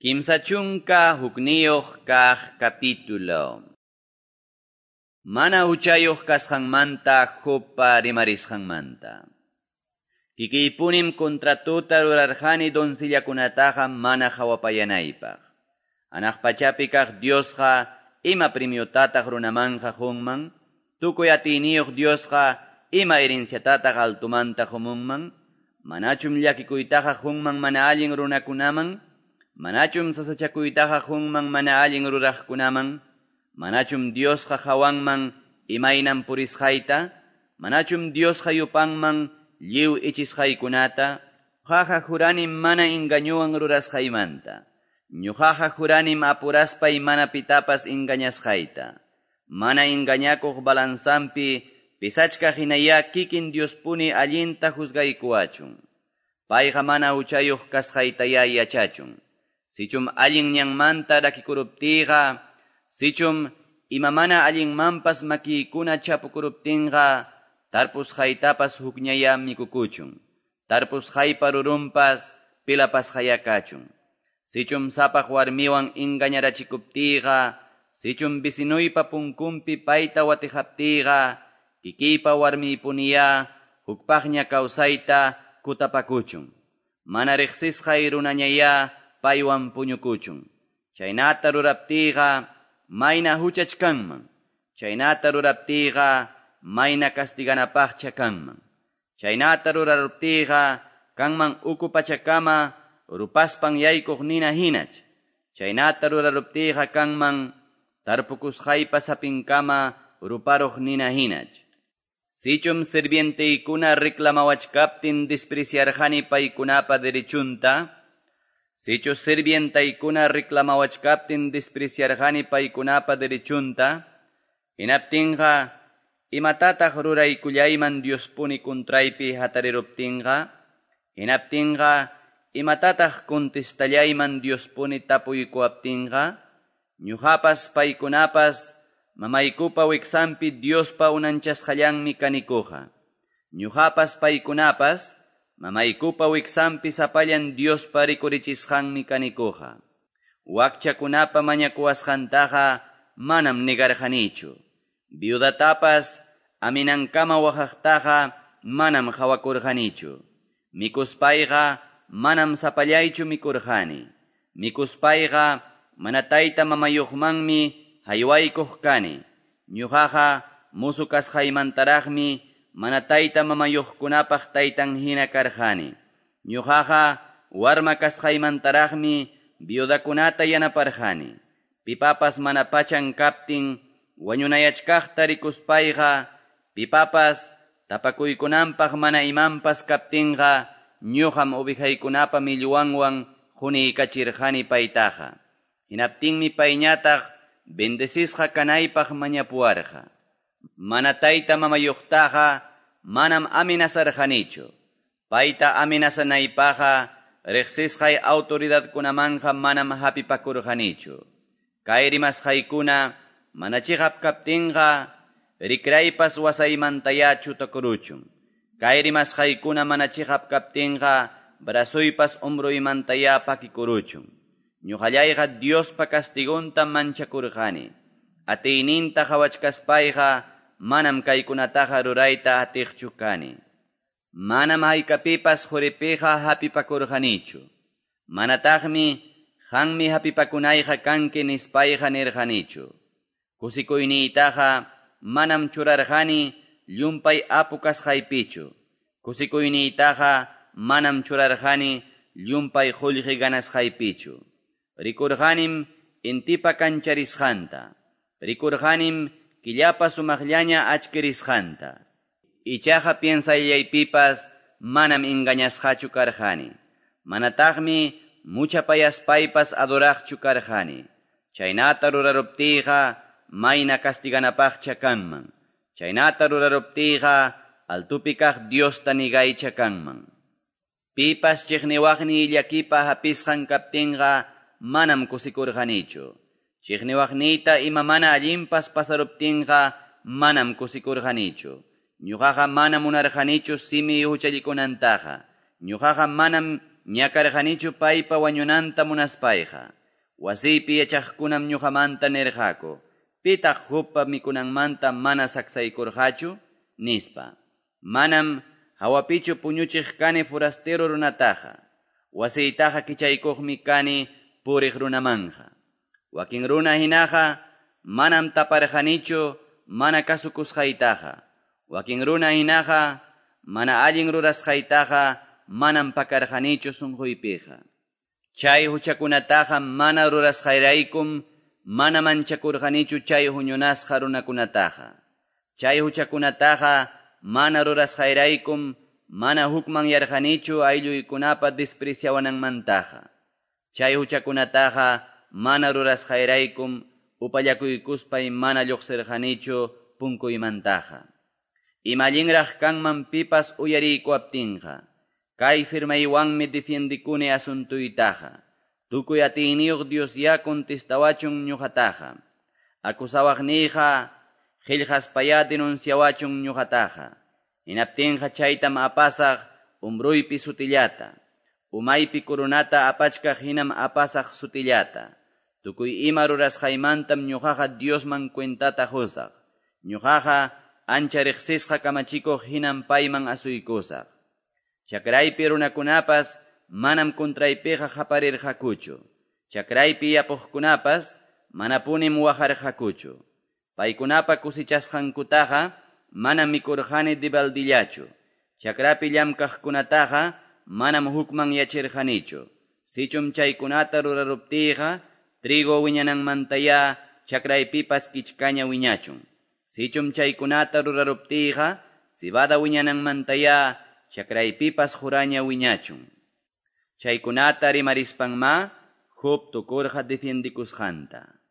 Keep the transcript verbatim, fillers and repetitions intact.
Kimsa chunka hukniyuq kaq capítulo. Mana huchayuq kasqanmanta Jobpa rimarisqanmanta. Kikiypunim contratuta rurarqani doncillakunataqa mana hawapayanaypaq. Hanaq pachapi kaq Diosqa ima premiotataq runamanqa qunman, tukuy atiyniyuq Diosqa ima herenciatataq altumanta qumunman, manachum llakikuytaqa qunman mana allin runakunaman, manachum sasachakuytaqa qunman mana allin ruraqkunaman, manachum Diosqa hawanman imaynan purisqayta, manachum Diosqa yupanman lliw ichisqaykunata, ñuqaqa juranim mana engañuwan rurasqaymanta, ñuqaqa juranim apuraspay mana pitapas engañasqayta, mana engañakuq balanzanpi pisachkaq hinayá kikin Diospuni allinta juzgaykuwachun, payqa mana huchayuq kasqaytayá yachachun. Sichum allin ñanmanta rakikuruptiyqa, sichum ima mana allinmanpas makiykuna chapukuruptinqa, tarpusqaytapas hukñayá mikukuchun, tarpusqaypa rurunpas pilapasqayá kachun. Sichum sapaq warmiwan engañarachikuptiyqa, sichum vecinuypa punkunpi payta watijaptiyqa, kikiypa warmiypuniyá hukpaqña kawsayta kutapakuchun. Mana riqsisqay runañayá paywan puñukuchun. Chaynata ruraptiyqa mayna huchach kanman. Chaynata ruraptiyqa mayna castiganapaqcha kanman. Chaynata ruraruptiyqa kanman uku pachakama rupaspan yaykuq nina hinach. Chaynata ruraruptiyqa kanman tarpukusqaypa sapinkama ruparuq nina hinach. Sichum sirvienteykuna reclamawachkaptin despreciarqani paykunapa derechunta, sichu sirvientaykuna reclamawachkaptin despreciarqani paykunapa derechunta, hinaptinqa imatataq ruraykullayman Diospuni contraypi hatariruptinqa, hinaptinqa imatataq contestallayman Diospuni tapuykuwaptinqa, ñuqapas paykunapas mamaykupa wiksanpi Diospa unanchasqallanmi kanikuqa. Ñuqapas paykunapas mamaykupa wiksanpi sapallan Diospa rikurichisqanmi kanikuqa. Wakchakunapa mañakuwasqantaqa manam negarqanichu. Viudatapas aminankama waqaqtaqa manam hawakurqanichu. Mikuspayqa manam sapallaychu mikurqani. Mikuspayqa mana tayta mamayuqmanmi haywaykuq kani. Ñuqaqa musu kasqaymantaraqmi mana tayta mamayuqkunapaq taytan hina karqani. Ñuqaqa warma kasqaymantaraqmi viudakunata yanaparqani. Pipapas mana pachan kaptin wañunayachkaqta rikuspayqa, pipapas tapakuykunanpaq mana imanpas kaptinqa, ñuqam ovejaykunapa millwanwan quniykachirqani paytaqa. Hinaptinmi payñataq bendecisqa kanaypaq mañapuwarqa. Mana tayta mamayuqtaqa manam amenazarqanichu. Payta amenazanaypaqqa riqsisqay autoridadkunamanqa manam hapipakurqanichu. Kay rimasqaykuna mana chiqap kaptinqa rikraypas wasaymantayá chutakuruchun. Kay rimasqaykuna mana chiqap kaptinqa brazoypas hombroymantayá pakikuruchun. Ñuqallayqa Diospa castigonta manchakurqani. Atiyninta hawachkaspayqa manam kaykunataqa rurayta atiqchu kani. Manam haykapipas quripiqa hapipakurqanichu. Manataqmi qanmi hapipakunayqa kanki nispayqa nirqanichu. Kusikuyniytaqa manam churarqani llumpay apu kasqaypichu. Kusikuyniytaqa manam churarqani llumpay qullqi ganasqaypichu. Rikurqanim intipa kancharisqanta. Rikurqanim killapa sumaqllaña achkirisqanta. Ichaqa piensayaypipas manam engañasqachu karqani. Manataqmi muchapayaspaypas adoraqchu karqani. Chaynata ruraruptiyqa mayna castiganapaqcha kanman. Chaynata ruraruptiyqa altupi kaq Diosta nigaycha kanman. Pipas chiqniwaqniy llakipa hapisqan kaptinqa manam kusikurqanichu. Chiqniwaqniyta ima mana allinpas pasaruptinqa manam kusikurqanichu. Ñuqaqa mana munarqanichu simiy huchallikunantaqa. Ñuqaqa manam ñakarqanichu paypa wañunanta munaspayqa. Wasiypi yachaqkunam ñoqamanta nirqaku, Pitaq Jobpa mikunanmanta mana saksaykurqachu? nispa. Manam hawapichu puñuchiq kani forastero runataqa. Wasiytaqa kichaykuqmi kani puriq runamanqa. Wakin runa hinaqa manam taparqanichu mana kasukusqaytaqa. Wakin runa hinaqa mana allin rurasqaytaqa manam pakarqanichu sunquypiqa. Chay huchakunataqa mana rurasqayraykum mana manchakurqanichu chay huñunasqa runakunataqa. Chay huchakunataqa mana rurasqayraykum mana hukmanyarqanichu aylluykunapa despreciawananmantaqa. Chay huchakunataqa mana rurasqayraykum upallakuykuspay mana lluqsirqanichu punkuymantaqa. Ima allinraq kanman pipas uyariykuwaptinqa. Kay firmaywanmi defiendikuni asuntuytaqa. Tukuy atiyniyuq Dios ya contestawachun ñuqataqa. Acusawaqniyqa qillqaspayá denunciawachun ñuqataqa. Hinaptinqa chaytam apasaq umbruypi sutillata. Umaypi coronata apachkaq hinam apasaq sutillata. Tukuy ima rurasqaymantam ñuqaqa Diosman cuentata qusaq. Ñuqaqa ancha riqsisqa kamachikuq hinam payman asuykusaq. Chakraypi runakunapas manam contraypiqa qaparirqakuchu. Chakraypi yapuqkunapas manapunim waqarqakuchu. Paykunapa kusichasqankutaqa manam mikurqani dibaldillachu. Chakrapi llamkaqkunataqa manam hukman yachirqanichu. Sichum chaykunata ruraruptiyqa trigo wiñananmantaya chakraypipas kichkaña wiñachun. Sichum chaykunata ruraruptiyqa cebada wiñananmantaya chakraypipas juraña wiñachun. Chaykunata rimarispanma Job tukurqa defiendikusqanta.